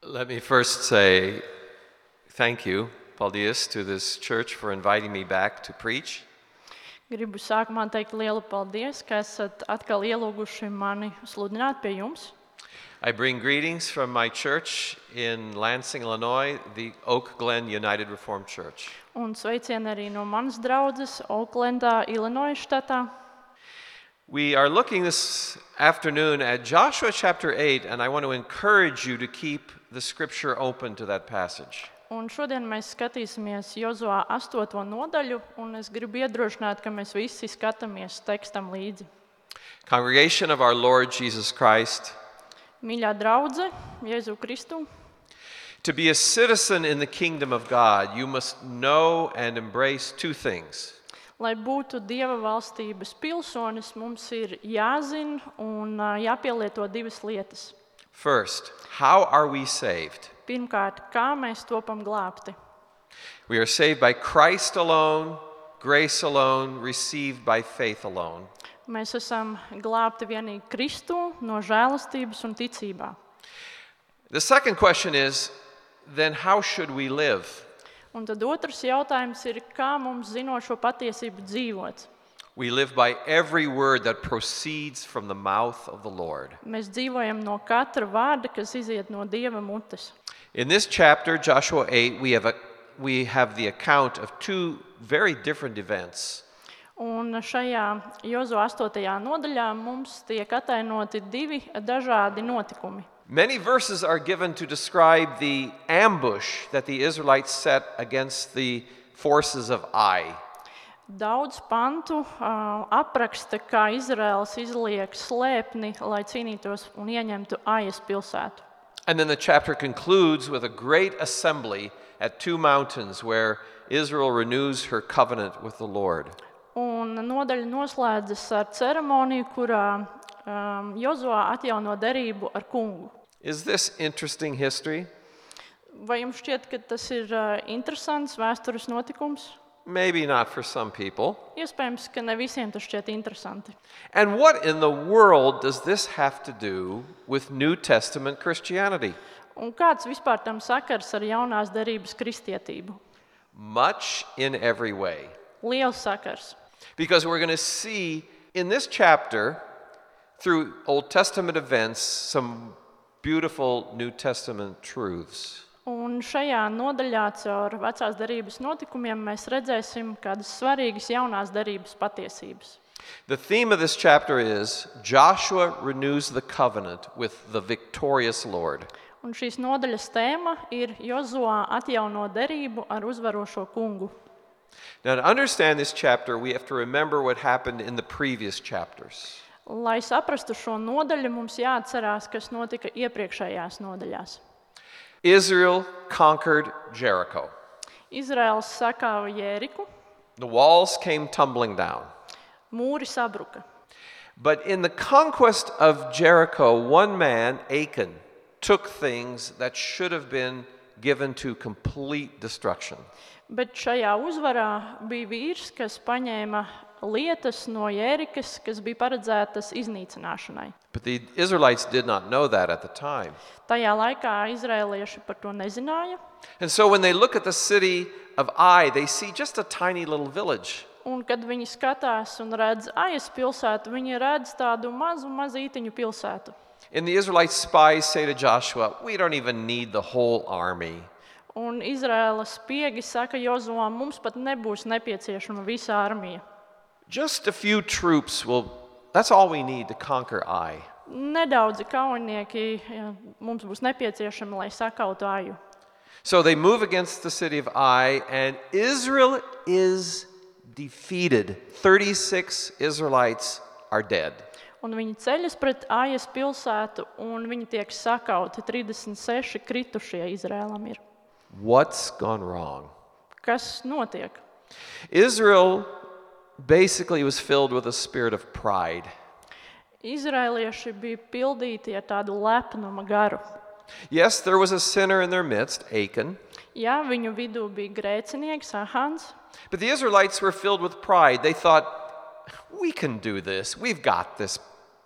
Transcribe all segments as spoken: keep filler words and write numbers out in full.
Let me first say thank you, paldies, to this church for inviting me back to preach. Gribu sākumā teikt lielu paldies, ka esat atkal ielūguši mani sludināt pie jums. I bring greetings from my church in Lansing, Illinois, the Oak Glen United Reformed Church. Un sveicieni arī no manas draudzes Oaklandā, Illinois štatā. We are looking this afternoon at Joshua chapter eight, and I want to encourage you to keep the scripture open to that passage. Un šodien mēs skatīsimies Jozuā astoto nodaļu, un es gribu iedrošināt, ka mēs visi skatāmies tekstam līdzi. Congregation of our Lord Jesus Christ, Mīļā draudze, Jēzu Kristu, to be a citizen in the kingdom of God, you must know and embrace two things. lai būtu Dieva valstības pilsonis, mums ir jāzina un ā, jāpielieto divas lietas. First, how are we saved? Pirmkārt, kā mēs topam glābti. We are saved by Christ alone, grace alone, received by faith alone. Mēs esam glābti vienīgi Kristu no žēlastības un ticībā. The second question is, then how should we live? Un tad otrs jautājums ir, kā mums zinot šo patiesību dzīvot. We live by every word that proceeds from the mouth of the Lord. Mēs dzīvojam no katra vārda, kas iziet no Dieva mutes. In this chapter, Joshua eight, we have, a, we have the account of two very different events. Un šajā Jozo astotajā nodaļā mums tiek atainoti divi dažādi notikumi. Many verses are given to describe the ambush that the Israelites set against the forces of Ai. Daudz pantu uh, apraksta, kā Izraels izliek slēpni, lai cīnītos un ieņemtu Aijas pilsētu. And then the chapter concludes with a great assembly at two mountains where Israel renews her covenant with the Lord. Un nodaļa noslēdzas ar ceremoniju, kurā um, Jozuā atjauno derību ar kungu. Is this interesting history? Vai jums šķiet, ka tas ir uh, interesants vēstures notikums? Maybe not for some people. Iespējams, ka ne visiem tas šķiet interesanti. And what in the world does this have to do with New Testament Christianity? Un kāds vispār tam sakars ar jaunās derības kristietību? Much in every way. Liels sakars. Because we're going to see in this chapter, through Old Testament events, some beautiful New Testament truths. Un šajā nodaļā caur vecās derības notikumiem mēs redzēsim kādas svarīgas jaunās derības patiesības. The theme of this chapter is Joshua renews the covenant with the victorious Lord. Un šīs nodaļas tēma ir Jozuā atjauno derību ar uzvarošo kungu. Now, to understand this chapter, we have to remember what happened in the previous chapters. Lai saprastu šo nodaļu, mums jāatcerās, kas notika iepriekšējās nodaļās. Israel conquered Jericho. Izraels sakāva Jēriku, The walls came tumbling down. mūri sabruka. But in the conquest of Jericho, one man, Achan, took things that should have been given to complete destruction. Bet šajā uzvarā bija vīrs, kas paņēma lietas no Jērikas, kas bija paredzētas iznīcināšanai. But the Israelites did not know that at the time. Tajā laikā izraelieši par to nezināja. And so when they look at the city of Ai, they see just a tiny little village. Un kad viņi skatās un redz Aijas pilsētu, viņi redz tādu mazu, mazītiņu pilsētu. And the Israelite spies say to Joshua, we don't even need the whole army. Un Izraēlas spiegi saka Jozuām, mums pat nebūs nepieciešama visa armija. Just a few troops will, that's all we need to conquer Ai. Nedaudzi kaujinieki ja, mums būs nepieciešami, lai sakautu Aju. So they move against the city of Ai, and Israel is defeated. thirty-six Israelites are dead. Un viņi ceļas pret Aijas pilsētu, un viņi tiek sakauti. trīsdesmit seši kritušie Izrēlam ir. What's gone wrong? Kas notiek? Israel basically was filled with a spirit of pride. Izraelieši bija pildīti ar tādu lepnuma garu. Yes, there was a sinner in their midst, Achan. Jā, viņu vidū bija grēcinieks, Ahans, But the Israelites were filled with pride. They thought, we can do this. We've got this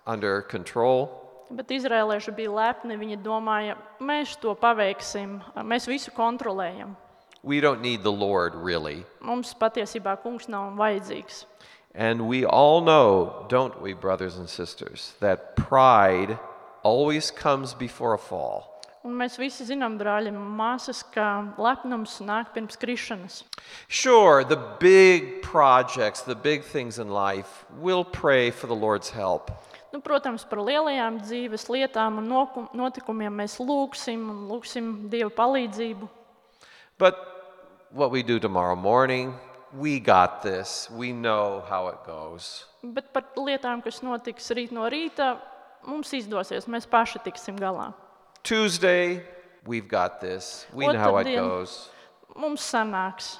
under control. Bet izrēlieši bija lepni, viņi domāja, mēs to paveiksim, mēs visu kontrolējam. We don't need the Lord, really. Mums patiesībā kungs nav vajadzīgs. And we all know, don't we, brothers and sisters, that pride always comes before a fall. Un mēs visi zinām, brāļi un māsas, ka lepnums nāk pirms krišanas. Sure, the big projects, the big things in life, we'll pray for the Lord's help. Nu, protams, par lielajām dzīves lietām un noku- notikumiem mēs lūgsim un lūgsim Dieva palīdzību. But what we do tomorrow morning, we got this. We know how it goes. Bet par lietām, kas notiks rīt no rīta, mums izdosies, mēs paši tiksim galā. Tuesday, we've got this. We know how it Otrdien goes. mums sanāks.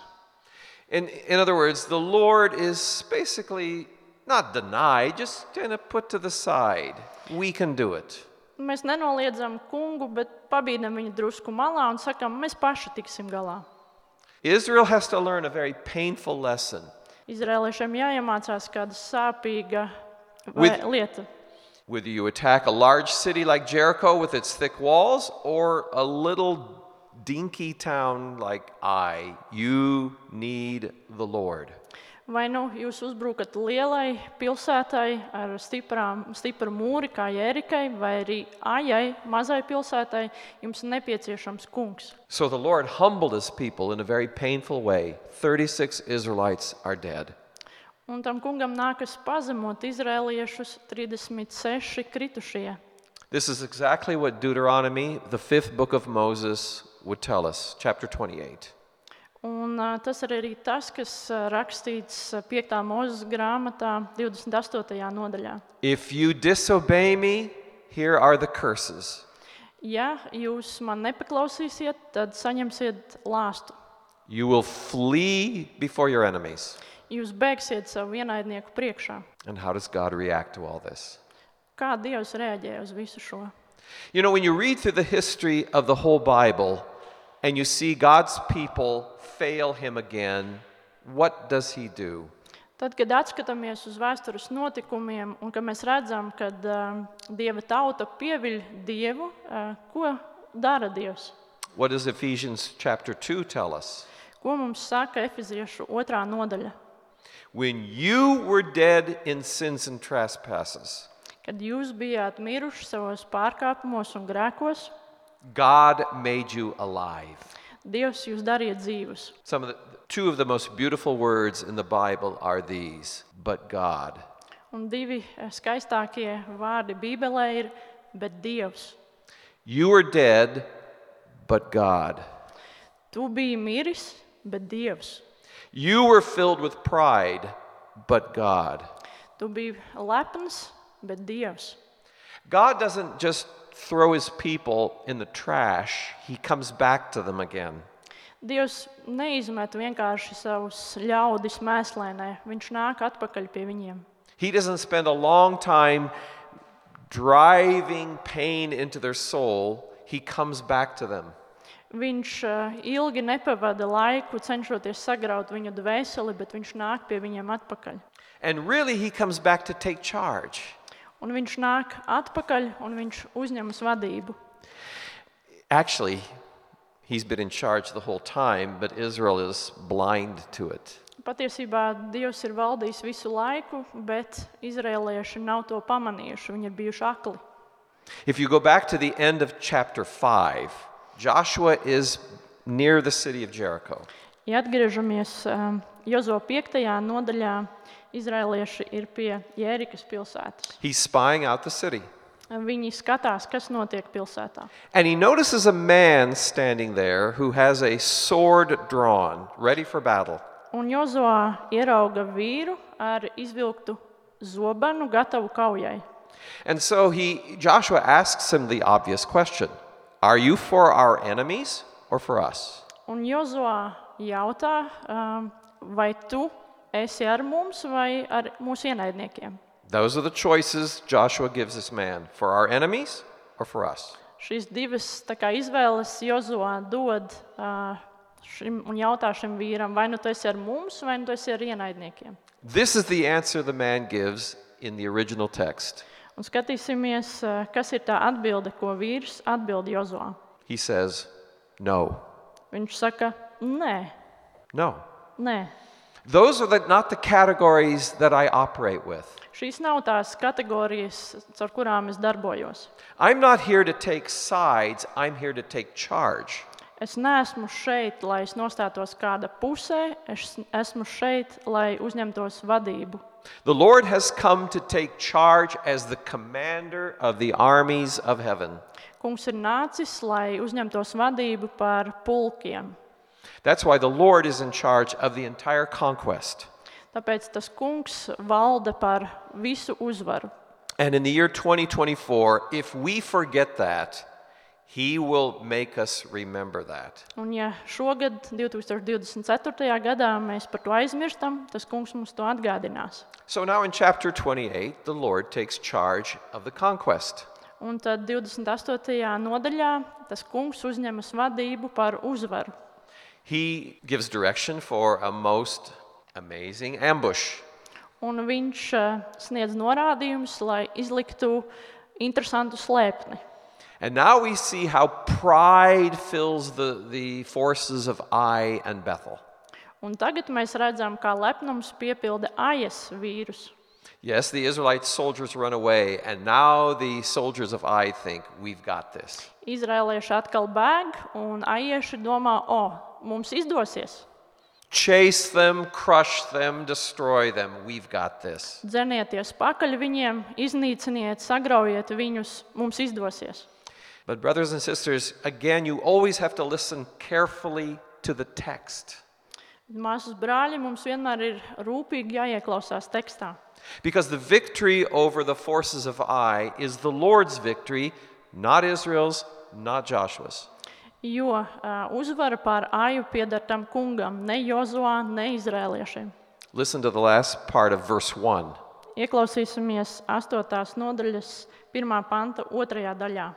In, in other words, the Lord is basically not denied, just kind of put to the side. We can do it. Mēs nenoliedzam kungu, bet pabīdam viņu drusku malā un sakam, mēs paši tiksim galā. Israel has to learn a very painful lesson. Izrēliešiem jāiemācās kāda sāpīga vai- With- lieta. Whether you attack a large city like Jericho with its thick walls or a little dinky town like Ai, you need the Lord. Vai nu jūs uzbrukat lielai pilsētai ar stiprām, stipru mūri kā Jērikai, vai arī Ajai, mazai pilsētai, jums ir nepieciešams kungs. So the Lord humbled his people in a very painful way. thirty-six Israelites are dead. Un tam kungam nākas pazemot izrēliešus trīsdesmit seši kritušie. This is exactly what Deuteronomy, the fifth book of Moses, would tell us, chapter twenty-eight. Un uh, tas ir arī tas, kas uh, rakstīts uh, piektā Mūzes grāmatā divdesmit astotajā nodaļā. If you disobey me, here are the curses. Ja jūs man nepaklausīsiet, tad saņemsiet lāstu. You will flee before your enemies. Jūs bēgsiet savu ienaidnieku priekšā. And how does God react to all this? Kā Dievs reaģē uz visu šo? You know, when you read through the history of the whole Bible and you see God's people fail him again, what does he do? Tad, kad atskatāmies uz vēstures notikumiem un kad mēs redzam, ka uh, Dieva tauta pieviļ Dievu, uh, ko dara Dievs? What does Ephesians chapter two tell us? Ko mums saka Efeziešu otrā nodaļa? When you were dead in sins and trespasses, Kad jūs bijāt miruši savos pārkāpumos un grēkos, God made you alive. Dievs jūs darīja dzīvus. Some of the two of the most beautiful words in the Bible are these, but God. Un divi eh, skaistākie vārdi Bībelē ir, bet Dievs. You were dead, but God. Tu biji miris, bet Dievs. You were filled with pride, but God. Tu biji lepns, bet Dievs. God doesn't just throw his people in the trash, he comes back to them again. Dievs neizmet vienkārši savus ļaudis mēslēnē, viņš nāk atpakaļ pie viņiem. He doesn't spend a long time driving pain into their soul, he comes back to them. Viņš uh, ilgi nepavada laiku, cenšoties sagraut viņu dvēseli, bet viņš nāk pie viņiem atpakaļ. And really he comes back to take charge. Un viņš nāk atpakaļ un viņš uzņemas vadību. Actually, he's been in charge the whole time, but Israel is blind to it. Patiesībā Dievs ir valdījis visu laiku, bet izrēlieši nav to pamanījuši, viņi ir bijuši akli. If you go back to the end of chapter five, Joshua is near the city of Jericho. Ja atgriežamies um, Jozo piektajā nodaļā, izrēlieši ir pie Jērikas pilsētas. He's spying out the city. Viņi skatās, kas notiek pilsētā. And he notices a man standing there who has a sword drawn, ready for battle. Un Jozo ierauga vīru ar izvilktu zobenu, gatavu kaujai. And so he, Joshua asks him the obvious question, are you for our enemies or for us? Un Jozo jautā, um, vai tu esi ar mums vai ar mūsu ienaidniekiem? Those are the choices Joshua gives this man, for our enemies or for us. Šīs divas tā kā izvēles Jozo dod uh, šim, un jautā šim vīram, vai nu tu esi ar mums, vai nu tu esi ar ienaidniekiem. This is the answer the man gives in the original text. Un skatīsimies, eh, kas ir tā atbilde, ko vīrs atbild Jozuā. He says, no, Viņš saka, nē, no. nē. Those are the, not the categories that I operate with. Šīs nav tās kategorijas, ar kurām es darbojos. I'm not here to take sides, I'm here to take charge. Es neesmu šeit, lai es nostātos kāda pusē, es esmu šeit, lai uzņemtos vadību. The Lord has come to take charge as the commander of the armies of heaven. Kungs ir nācis, lai uzņemtos vadību par pulkiem. That's why the Lord is in charge of the entire conquest. Tāpēc tas kungs valda par visu uzvaru. And in the year twenty twenty-four, if we forget that, He will make us remember that. Un ja šogad, divtūkstoš divdesmit ceturtajā gadā, mēs par to aizmirstam, tas kungs mums to atgādinās. So now in chapter twenty-eight, the Lord takes charge of the conquest. Un tad divdesmit astotajā nodaļā tas kungs uzņemas vadību par uzvaru. He gives direction for a most amazing ambush. Un viņš uh, sniedz norādījumus, lai izliktu interesantu slēpni. And now we see how pride fills the, the forces of Ai and Bethel. Un tagad mēs redzam, kā lepnums piepilda Ajas vīrus. Yes, the Israelite soldiers run away, and now the soldiers of Ai think, we've got this. Izraelieši atkal bēg, un Ajieši domā, o, mums izdosies. Chase them, crush them, destroy them. We've got this. Dzenieties pakaļ viņiem, iznīciniet, sagraujiet viņus, mums izdosies. But brothers and sisters, again, you always have to listen carefully to the text. Māsas brāļi, mums vienmēr ir rūpīgi jāieklausās tekstā. Because the victory over the forces of Ai is the Lord's victory, not Israel's, not Joshua's. Jo uh, uzvara pār Aju pieder tam kungam, ne Jozuā, ne izrēliešiem. Listen to the last part of verse one. Ieklausīsimies astotās nodaļas pirmā panta otrajā daļā.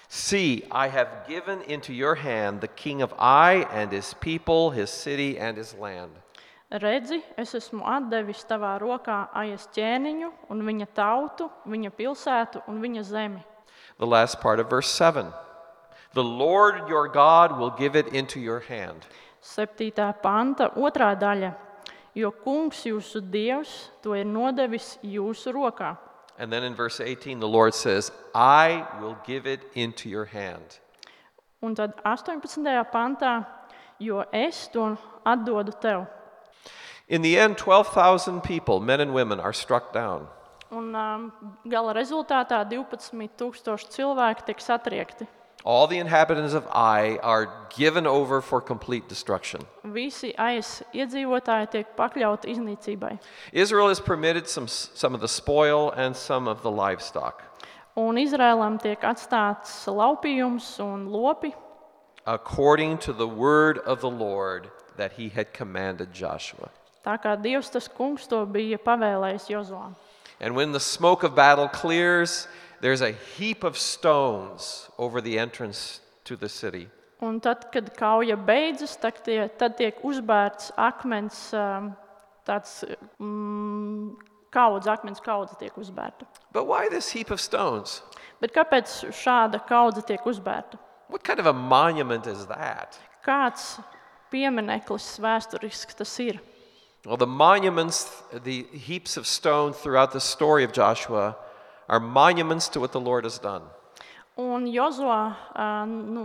See, I have given into your hand the king of Ai and his people, his city and his land. Redzi, es esmu atdevis tavā rokā Ajas ķēniņu un viņa tautu, viņa pilsētu un viņa zemi. The last part of verse seven. The Lord your God will give it into your hand. Septītā panta otrā daļa. Jo kungs jūsu dievs to ir nodevis jūsu rokā. And then in verse eighteen, the Lord says, I will give it into your hand. Un tad astoņpadsmitajā pantā, jo es to atdodu tev. In the end, twelve thousand people, men and women, are struck down. Un um, gala rezultātā divpadsmit tūkstoši cilvēki tiek satriekti. All the inhabitants of Ai are given over for complete destruction. Visi Ajas iedzīvotāji tiek pakļauti iznīcībai. Israel is permitted some, some of the spoil and some of the livestock. Un Izrēlam tiek atstāts laupījums un lopi, according to the word of the Lord that he had commanded Joshua. tā kā Dievs tas kungs to bija pavēlējis Jozuām. And when the smoke of battle clears, there's a heap of stones over the entrance to the city. Un tad, kad kauja beidzas, tad, tie, tad tiek uzbērts akmens, um, tāds mm, kaudze, akmens kaudze tiek uzbērta. But why this heap of stones? Bet kāpēc šāda kaudze tiek uzbērta? What kind of a monument is that? Kāds piemineklis vēsturisks tas ir? Well, the monuments, the heaps of stone throughout the story of Joshua are monuments to what the Lord has done. Un Jozuā nu,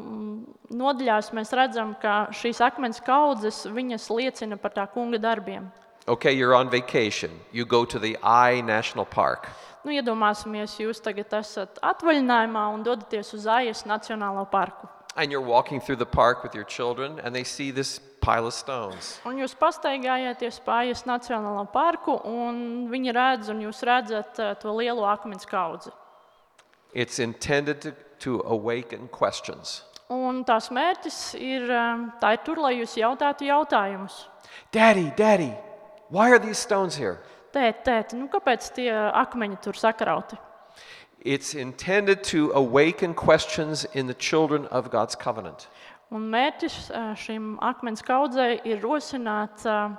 nodaļās mēs redzam, ka šīs akmens kaudzes, viņas liecina par tā kunga darbiem. Okay, you're on vacation. You go to the Ai National Park. Nu, iedomāsimies, jūs tagad esat atvaļinājumā un dodaties uz Ajas Nacionālo parku. And you're walking through the park with your children, and they see this pile of stones. Un jūs pastaigājāties pa Ajas Nacionālo parku, un viņi redz, un jūs redzat uh, to lielo akmens kaudzi. It's intended to, to awaken questions. Un tās mērķis ir, um, tā ir tur, lai jūs jautātu jautājumus. Daddy, Daddy, why are these stones here? Tēt, tēt, nu kāpēc tie akmeņi tur sakrauti? It's intended to awaken questions in the children of God's covenant. Un mērķis uh, šim akmens kaudzei ir rosināt uh,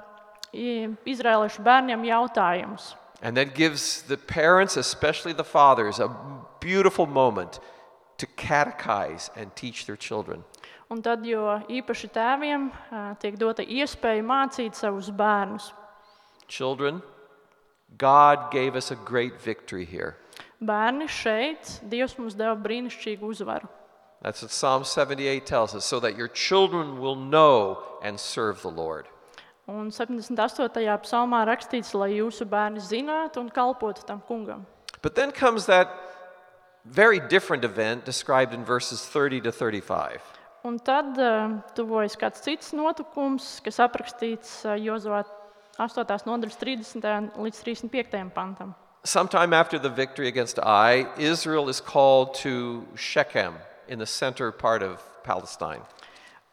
izraeliešu bērniem jautājumus. And that gives the parents, especially the fathers, a beautiful moment to catechize and teach their children. Un tad, jo īpaši tēviem ā, tiek dota iespēja mācīt savus bērnus. Children, God gave us a great victory here. Bērni šeit, Dievs mums deva brīnišķīgu uzvaru. That's what Psalm seventy-eight tells us, so that your children will know and serve the Lord. Un septiņdesmit astotajā psalmā rakstīts, lai jūsu bērni zinātu un kalpotu tam kungam. But then comes that very different event described in verses thirty to thirty-five. Un tad uh, tuvojas kāds cits notikums, kas aprakstīts uh, Jozua astotās nodaļas trīsdesmitajam līdz trīsdesmit piektajam pantam. Sometime after the victory against Ai, Israel is called to Shechem in the center part of Palestine.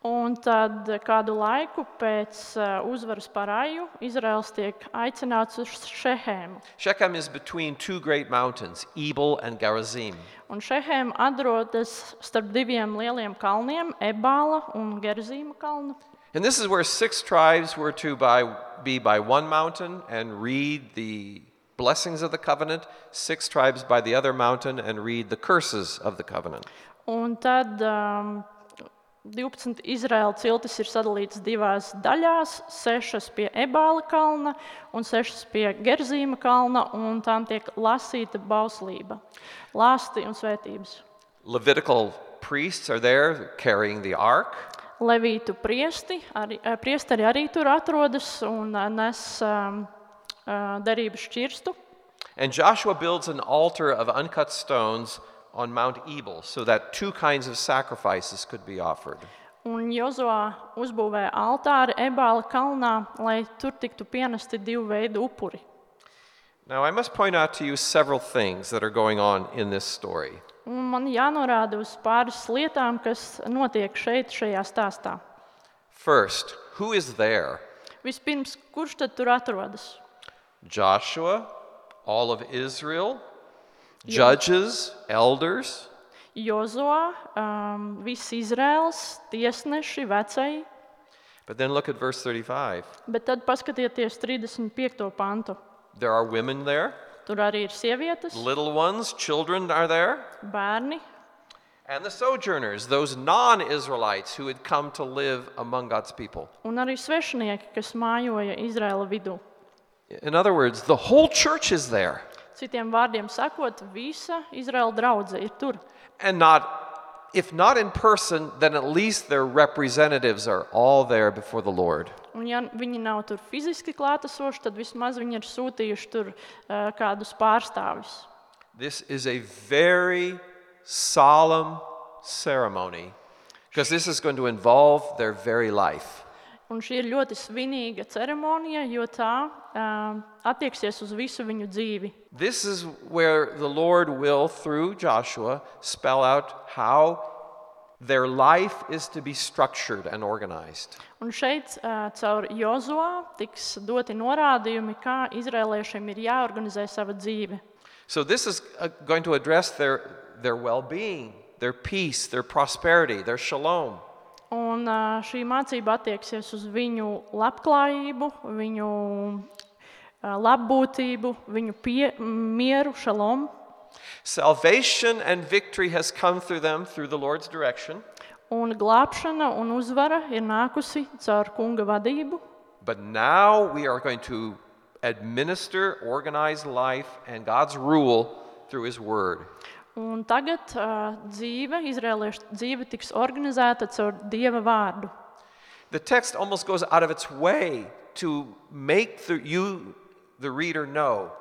Un tad kādu laiku pēc uh, uzvaras par Aju, Izraels tiek aicināts uz Šehēmu. Shechem is between two great mountains, Ebal and Gerizim. Un Šehēma atrodas starp diviem lieliem kalniem, Ebāla un Gerzīma kalnu. And this is where six tribes were to by, be by one mountain and read the blessings of the covenant, six tribes by the other mountain and read the curses of the covenant. Un tad um, divpadsmit Izraēla ciltis ir sadalīts divās daļās, sešas pie Ebāla kalna un sešas pie Gerzīma kalna, un tām tiek lasīta bauslība, lāsti un svētības. Levitical priests are there carrying the ark. Levītu priesti, arī, eh, priesteri arī tur atrodas un eh, nes um, uh, derības šķirstu. And Joshua builds an altar of uncut stones on Mount Ebal so that two kinds of sacrifices could be offered. Un Jozua uzbūvēja altāri Ebāla kalnā, lai tur tiktu pienesti divu veidu upuri. Now, I must point out to you several things that are going on in this story. Un man jānorāda uz pāris lietām, kas notiek šeit, šajā stāstā. First, who is there? Vispirms, kurš tad tur atrodas? Joshua, all of Israel, judges, elders. Jozua, um, viss Izraels, tiesneši, vecai. But then look at verse thirty-five. Bet tad paskatieties trīsdesmit piekto pantu. There are women there, Tur arī ir sievietes, little ones, children are there, bērni and the sojourners, those non-Israelites who had come to live among God's people. un arī svešinieki, kas mājoja Izraela vidū. In other words, the whole church is there. Citiem vārdiem sakot, visa Izraela draudze ir tur. And not, if not in person, then at least their representatives are all there before the Lord. Un ja viņi nav tur fiziski klātesoši, tad vismaz viņi ir sūtījuši tur uh, kādus pārstāvjus. This is a very solemn ceremony because this is going to involve their very life. Un šī ir ļoti svinīga ceremonija, jo tā uh, attieksies uz visu viņu dzīvi. This is where the Lord will, through Joshua, spell out how their life is to be structured and organized. Un šeit uh, caur Jozuā tiks doti norādījumi, kā izrēliešiem ir jāorganizē sava dzīve. So this is uh, going to address their, their well-being, their peace, their prosperity, their shalom. Un uh, šī mācība attieksies uz viņu labklājību, viņu uh, labbūtību, viņu pie, mieru, šalom. Salvation and victory has come through them through the Lord's direction. Un glābšana un uzvara ir nākusi caur kunga vadību. But now we are going to administer, organize life and God's rule through His Word. Un tagad uh, dzīve, izrēliešu dzīve tiks organizēta caur Dieva vārdu. The text almost goes out of its way to make the, you, the reader, know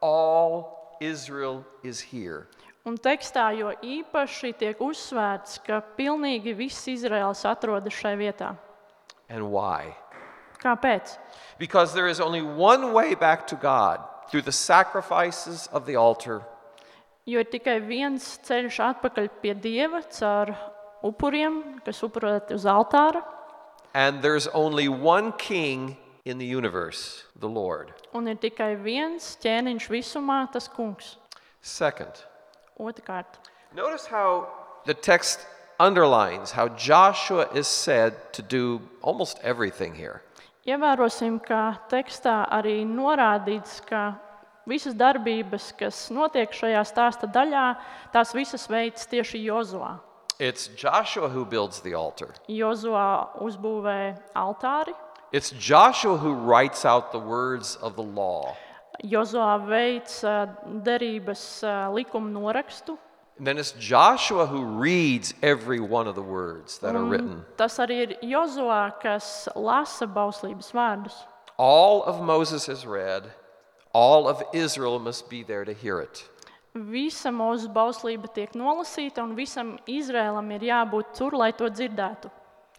all Israel is here. Un tekstā jo īpaši tiek uzsvērts, ka pilnīgi viss Izraels atrodas šai vietā. And why? Kāpēc? Because there is only one way back to God through the sacrifices of the altar. Jo ir tikai viens ceļš atpakaļ pie Dieva caur upuriem, kas upurēti uz altāra. And there's only one king in the universe, the Lord. Un ir tikai viens ķēniņš visumā, tas kungs. Second, Otrkārt, notice how the text underlines how Joshua is said to do almost everything here. ievērosim, ka tekstā arī norādīts, ka visas darbības, kas notiek šajā stāsta daļā, tās visas veids tieši Jozuā. It's Joshua who builds the altar. Jozuā uzbūvē altāri. It's Joshua who writes out the words of the law. Jozuā veids ā, derības ā, likuma norakstu. And then it's Joshua who reads every one of the words that are written. Tas arī ir Jozuā, kas lasa bauslības vārdus. All of Moses is read. All of Israel must be there to hear it. Visa mūsu bauslība tiek nolasīta, un visam Izrēlam ir jābūt tur, lai to dzirdētu.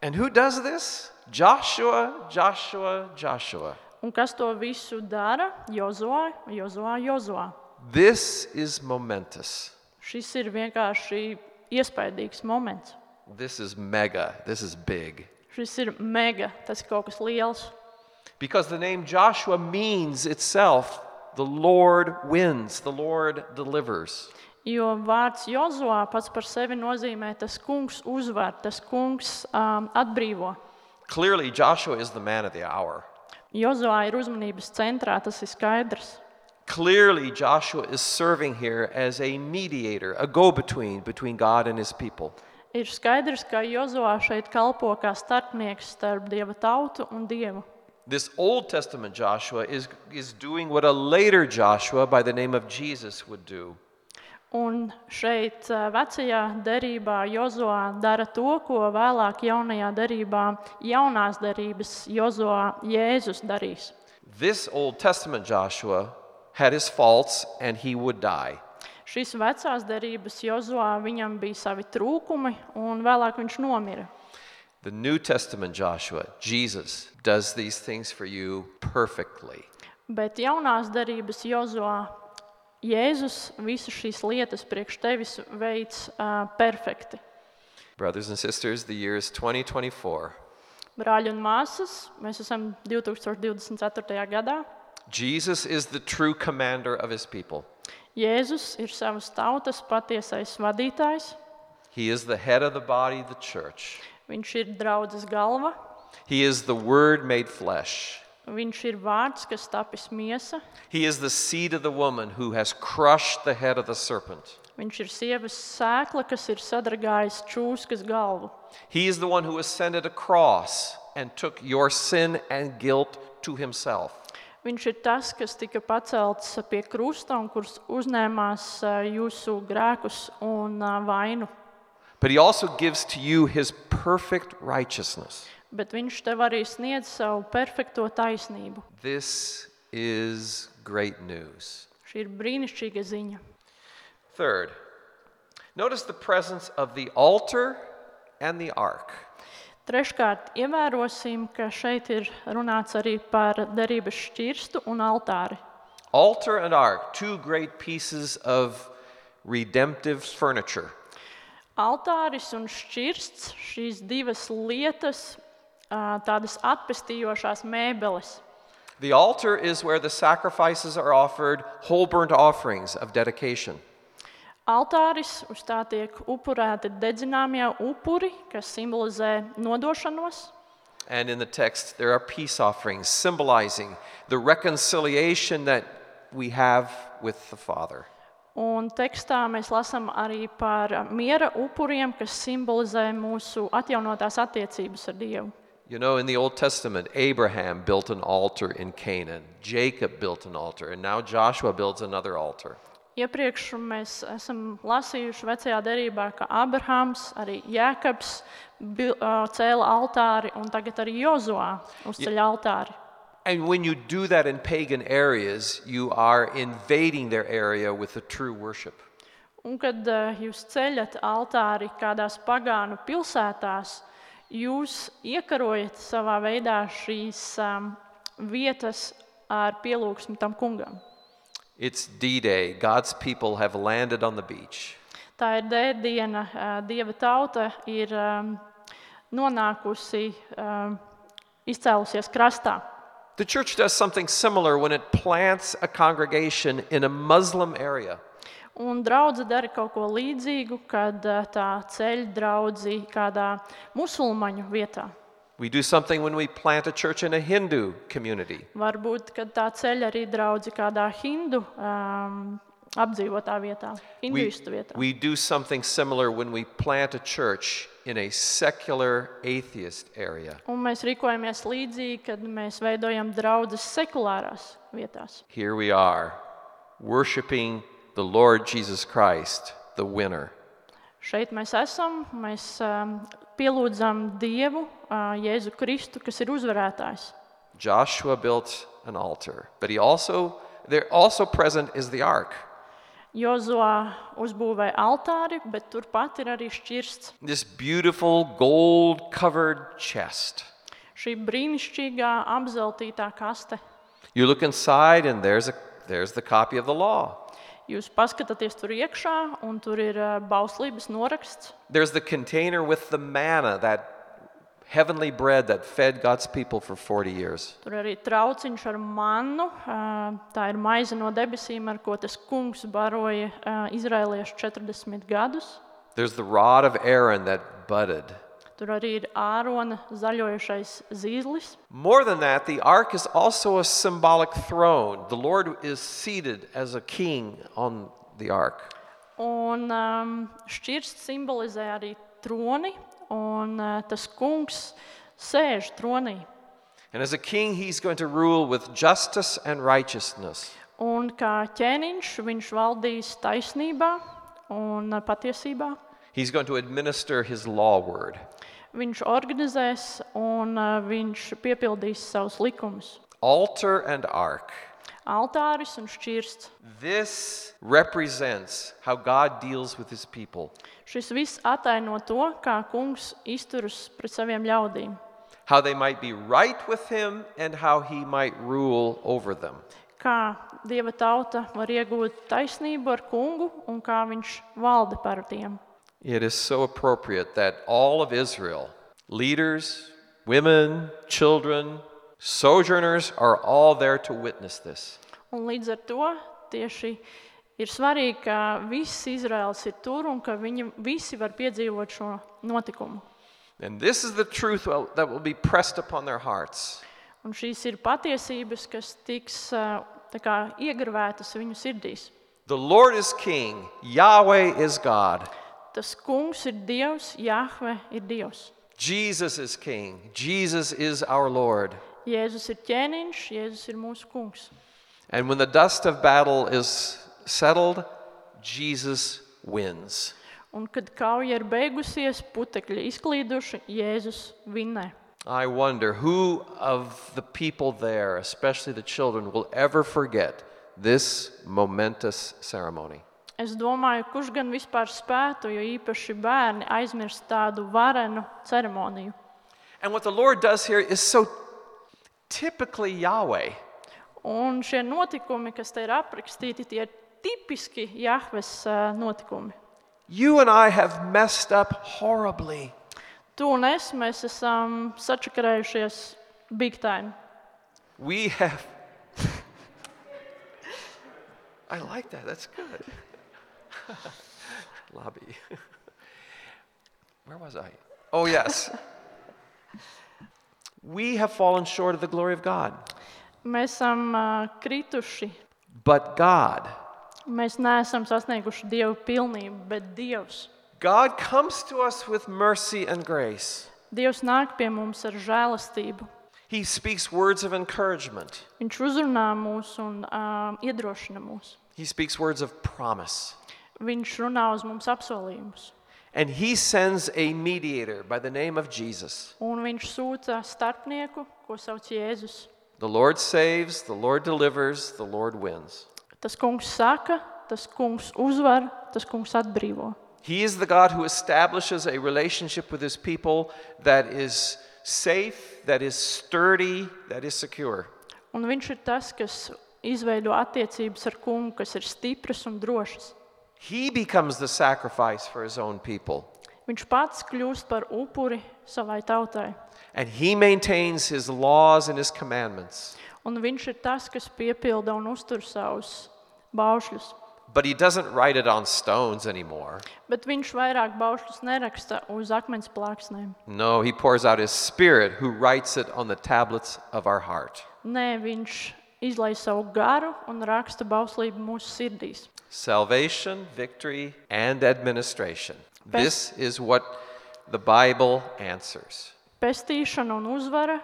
And who does this? Joshua, Joshua, Joshua. Un kas to visu dara? Jozuā, Jozuā, Jozuā. This is momentous. Šis ir vienkārši iespaidīgs moments. This is mega. This is big. Šis ir mega, tas ir kaut kas liels. Because the name Joshua means itself, the Lord wins, the Lord delivers. Jo vārds Jozuā pats par sevi nozīmē, tas kungs uzvar, tas kungs um, atbrīvo. Clearly, Joshua is the man of the hour. Jozuā ir uzmanības centrā, tas ir skaidrs. Clearly, Joshua is serving here as a mediator, a go-between between God and his people. Ir skaidrs, ka Jozuā šeit kalpo kā starpnieks starp Dieva tautu un Dievu. This Old Testament Joshua is, is doing what a later Joshua by the name of Jesus would do. Un šeit ā, vecajā derībā Jozuā dara to, ko vēlāk jaunajā derībā, jaunās derības Jozuā Jēzus darīs. This Old Testament Joshua had his faults and he would die. Šis vecās derības Jozuā viņam bija savi trūkumi, un vēlāk viņš nomira. The New Testament Joshua, Jesus, does these things for you perfectly. Bet jaunās derības Jozuā Jēzus visas šīs lietas priekš tevis veids uh, perfekti. Brothers and sisters, the year is twenty twenty-four. Brāļi un māsas, mēs esam divtūkstoš divdesmit ceturtajā gadā. Jesus is the true commander of his people. Jēzus ir savas tautas patiesais vadītājs. He is the head of the body, the church. Viņš ir draudzes galva. He is the Word made flesh. Viņš ir vārds, kas tapis miesa. He is the seed of the woman who has crushed the head of the serpent. Viņš ir sievas sēkla, kas ir sadragājis čūskas galvu. He is the one who ascended a cross and took your sin and guilt to himself. Viņš ir tas, kas tika pacelts pie krusta un kurš uzņēmās ā, jūsu grēkus un ā, vainu. But he also gives to you his perfect righteousness. Bet viņš tev arī sniedz savu perfekto taisnību. This is great news. Šī ir brīnišķīga ziņa. Third, notice the presence of the altar and the ark. Treškārt, ievērosim, ka šeit ir runāts arī par derības šķirstu un altāri. Altar and ark, two great pieces of redemptive furniture. Altāris un šķirsts, šīs divas lietas, ā, tādas atpestījošās mēbeles. The altar is where the sacrifices are offered, whole burnt offerings of dedication. Altāris, uz tā tiek upurēti dedzināmie upuri, kas simbolizē nodošanos. And in the text, there are peace offerings symbolizing the reconciliation that we have with the Father. Un tekstā mēs lasām arī par miera upuriem, kas simbolizē mūsu atjaunotās attiecības ar Dievu. You know, in the Old Testament, Abraham built an altar in Canaan. Jacob built an altar, and now Joshua builds another altar. Iepriekš mēs esam lasījuši vecajā derībā, ka Abrahams, arī Jēkabs bil, ā, cēla altāri, un tagad arī Jozuā uzceļ altāri. And when you do that in pagan areas, you are invading their area with the true worship. Un kad ā, jūs ceļat altāri kādās pagānu pilsētās, jūs iekarojat savā veidā šīs um, vietas ar pielūgsmi tam kungam. It's D-Day. God's people have landed on the beach. Tā ir D-diena, ā, Dieva tauta ir um, nonākusi, um, izcēlusies krastā. The church does something similar when it plants a congregation in a Muslim area. Un draudze dara kaut ko līdzīgu, kad ā, tā ceļ draudzi kādā musulmaņu vietā. We do something when we plant a church in a Hindu community. Varbūt, kad tā ceļ arī draudzi kādā hindu um, apdzīvotā vietā, We, hinduistu vietā. we do something similar when we plant a church in a secular atheist area. Un mēs rīkojamies līdzīgi, kad mēs veidojam draudzes sekulārās vietās. Here we are, worshiping the Lord Jesus Christ, the winner. Šeit mēs esam, mēs um, pielūdzam Dievu, uh, Jēzu Kristu, kas ir uzvarētājs. Joshua built an altar, but he also, there also present is the ark. Jozua uzbūvēja altāri, bet turpat ir arī šķirsts. This beautiful gold-covered chest. Šī brīnišķīgā apzeltītā kaste. You look inside and there's, a, there's the copy of the law. Jūs paskatāties tur iekšā, un tur ir uh, bauslības noraksts. There's the container with the manna, that heavenly bread that fed God's people for forty years. Tur arī trauciņš ar mannu. uh, Tā ir maize no debesīm, ar ko tas kungs baroja uh, izraeliešu četrdesmit gadus. There's the rod of Aaron that budded. Tur arī ir Ārona zaļojušais zīzlis. More than that, the ark is also a symbolic throne. The Lord is seated as a king on the ark. Un um, šķirsts simbolizē arī troni, un uh, tas kungs sēž tronī. And as a king, he's going to rule with justice and righteousness. Un kā ķēniņš viņš valdīs taisnībā un uh, patiesībā. He's going to administer his law word. Viņš organizēs un uh, viņš piepildīs savus likumus. Altar and ark. Altāris un šķirsts. This represents how God deals with his people. Šis viss attaino to, kā kungs izturas pret saviem ļaudīm. How they might be right with him and how he might rule over them. Kā Dieva tauta var iegūt taisnību ar kungu un kā viņš valda par tiem. It is so appropriate that all of Israel, leaders, women, children, sojourners, are all there to witness this. Un līdz ar to tieši ir svarīgi, ka viss Izraels ir tur un ka viņi visi var piedzīvot šo notikumu. And this is the truth that will be pressed upon their hearts. Un šīs ir patiesības, kas tiks uh, tā kā iegravētas viņu sirdīs. The Lord is king, Yahweh is God. Tas kungs ir Dievs, Jahve ir Dievs. Jesus is king, Jesus is our Lord. Jēzus ir ķēniņš, Jēzus ir mūsu kungs. And when the dust of battle is settled, Jesus wins. Un kad kauja ir beigusies, putekļi izklīduši, Jēzus vinnē. I wonder who of the people there, especially the children, will ever forget this momentous ceremony. Es domāju, kurš gan vispār spētu, jo īpaši bērni aizmirst tādu varenu ceremoniju. And what the Lord does here is so typically Yahweh. Un šie notikumi, kas te ir aprakstīti, tie ir tipiski Jahves uh, notikumi. You and I have messed up horribly. Tu un es, mēs esam sačakarējušies big time. We have... I like that, that's good. Lobby. Where was I? Oh, yes. We have fallen short of the glory of God. Mēs esam uh, krituši. But God, Mēs neesam sasnieguši Dievu pilnību, bet Dievs. God comes to us with mercy and grace. Dievs nāk pie mums ar žēlastību. He speaks words of encouragement. Viņš uzrunā mūs un uh, iedrošina mūs. He speaks words of promise. Viņš runā uz mums apsolījumus. And he sends a mediator by the name of Jesus. Un viņš sūta starpnieku, ko sauc Jēzus. The Lord saves, the Lord delivers, the Lord wins. Tas kungs saka, tas kungs uzvar, tas kungs atbrīvo. He is the God who establishes a relationship with his people that is safe, that is sturdy, that is secure. Un viņš ir tas, kas izveido attiecības ar kungu, kas ir stipras un drošas. He becomes the sacrifice for his own people. Viņš pats kļūst par upuri savai tautai. And he maintains his laws and his commandments. Un viņš ir tas, kas piepilda un uztur savus baušļus. But he doesn't write it on stones anymore. Bet viņš vairāk baušļus neraksta uz akmens plāksnēm. No, he pours out his Spirit who writes it on the tablets of our heart. Nē, viņš izlai savu garu un raksta bauslību mūsu sirdīs. Salvation, victory, and administration. This is what the Bible answers. Pestīšana un uzvara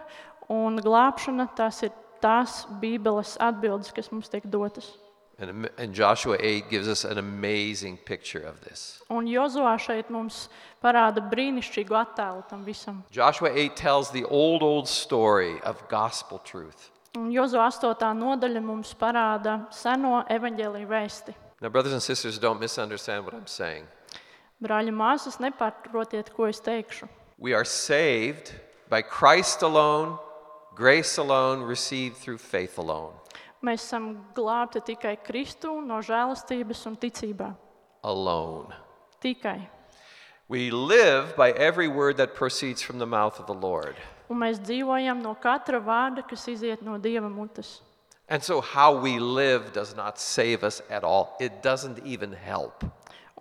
un glābšana, tās ir tās Bībeles atbildes, kas mums tiek dotas. And, and Joshua eight gives us an amazing picture of this. Un Jozuā šeit mums parāda brīnišķīgu attēlu tam visam. Joshua eight tells the old, old story of gospel truth. Un Jozuā astotā nodaļa mums parāda seno evaņģēliju vēsti. Now, brothers and sisters, don't misunderstand what I'm saying. Brāļi, māsas, nepārprotiet, ko es teikšu. We are saved by Christ alone, grace alone, received through faith alone. Mēs esam glābti tikai Kristu, no žēlastības un ticībā. Alone. Tikai. We live by every word that proceeds from the mouth of the Lord. Un mēs dzīvojam no katra vārda, kas iziet no Dieva mutes. And so how we live does not save us at all. It doesn't even help.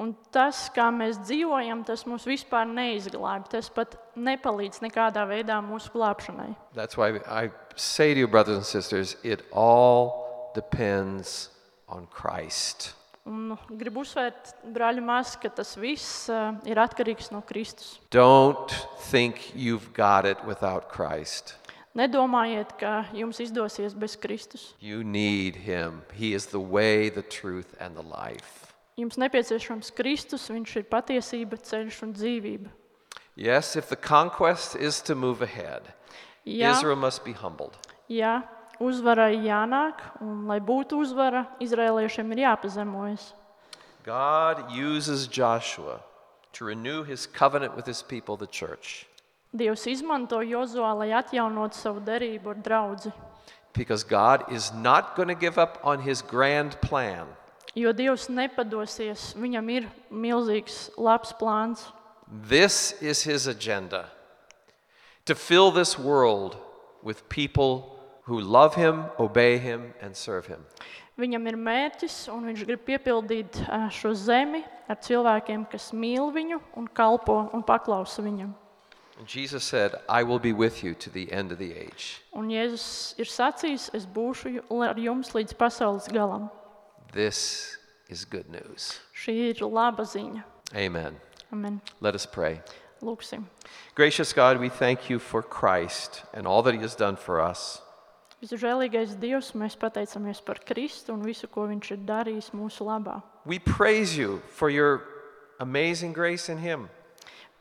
Un tas, kā mēs dzīvojam, tas mūs vispār neizglābj. Tas pat nepalīdz nekādā veidā mūsu glābšanai. That's why I say to you, brothers and sisters, it all depends on Christ. Un gribu uzsvērt, brāļi, māsas, ka tas viss uh, ir atkarīgs no Kristus. Don't think you've got it without Christ. Nedomājiet, ka jums izdosies bez Kristus. You need him. He is the way, the truth, and the life. Jums nepieciešams Kristus, viņš ir patiesība, ceļš un dzīvība. Yes, if the conquest is to move ahead, Jā, Israel must be humbled. jā, uzvarai jānāk, un lai būtu uzvara, izraēliešiem ir jāpazemojas. God uses Joshua to renew his covenant with his people, the church, Dievs izmanto Jozuā, lai atjaunotu savu derību ar draudzi. because God is not going to give up on his grand plan. Jo Dievs nepadosies, viņam ir milzīgs, labs plāns. This is his agenda, to fill this world with people who love him, obey him, and serve him. Viņam ir mērķis, un viņš grib piepildīt ā, šo zemi ar cilvēkiem, kas mīl viņu un kalpo un paklausa viņam. And Jesus said, I will be with you to the end of the age. Un Jēzus ir sacījis, es būšu ju- ar jums līdz pasaules galam. This is good news. Šī ir laba ziņa. Amen. Amen. Let us pray. Lūksim. Gracious God, we thank you for Christ and all that he has done for us. Visu žēlīgais Dievs, mēs pateicamies par Kristu un visu, ko viņš ir darījis mūsu labā. We praise you for your amazing grace in him.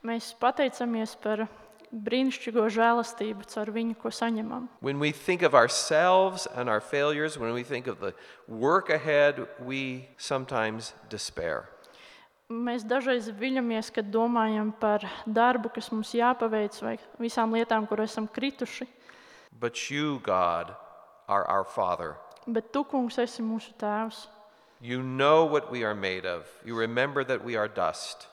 Mēs pateicamies par brīnišķīgo žēlastību caur viņu, ko saņemam. When we think of ourselves and our failures, when we think of the work ahead, we sometimes despair. Mēs dažreiz viļamies, kad domājam par darbu, kas mums jāpaveic, vai visām lietām, kur esam krituši. But you, God, are our Father. Bet tu, kungs, esi mūsu tēvs. You know what we are made of. You remember that we are dust.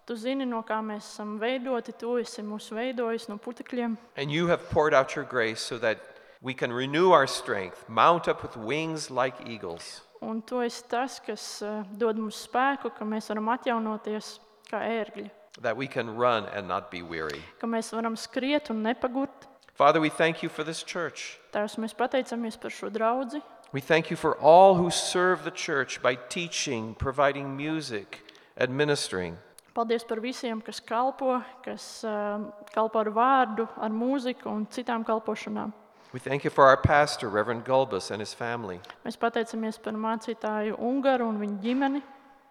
Tu zini, no kā mēs esam veidoti, tu esi mūs veidojis no putekļiem. And you have poured out your grace so that we can renew our strength, mount up with wings like eagles. Un tu esi tas, kas uh, dod mums spēku, ka mēs varam atjaunoties kā ērgļi. That we can run and not be weary. Ka mēs varam skriet un nepagurt. Father, we thank you for this church. Tēvs, mēs pateicamies par šo draudzi. We thank you for all who serve the church by teaching, providing music, administering. Paldies par visiem, kas kalpo, kas uh, kalpo ar vārdu, ar mūziku un citām kalpošanām. We thank you for our pastor, Reverend Gulbis, and his family. Mēs pateicamies par mācītāju Ungaru un viņa ģimeni.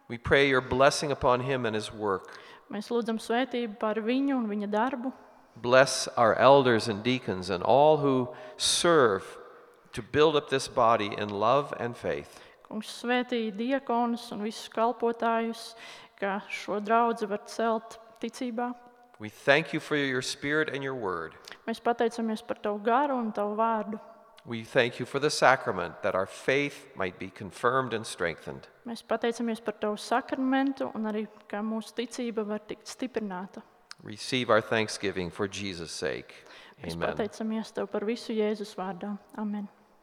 We pray your blessing upon him and his work. Mēs lūdzam svētību par viņu un viņa darbu. Bless our elders and deacons and all who serve to build up this body in love and faith. Kungs svētī diakonus un visus kalpotājus, ka šo draudzi var celt ticībā. We thank you for your spirit and your word. Mēs pateicamies par tavu garu un tavu vārdu. We thank you for the sacrament that our faith might be confirmed and strengthened. Mēs pateicamies par tavu sakramentu un arī, ka mūsu ticība var tikt stiprināta. Receive our thanksgiving for Jesus' sake. Mēs Amen. pateicamies tev par visu Jēzus vārdā. Amen.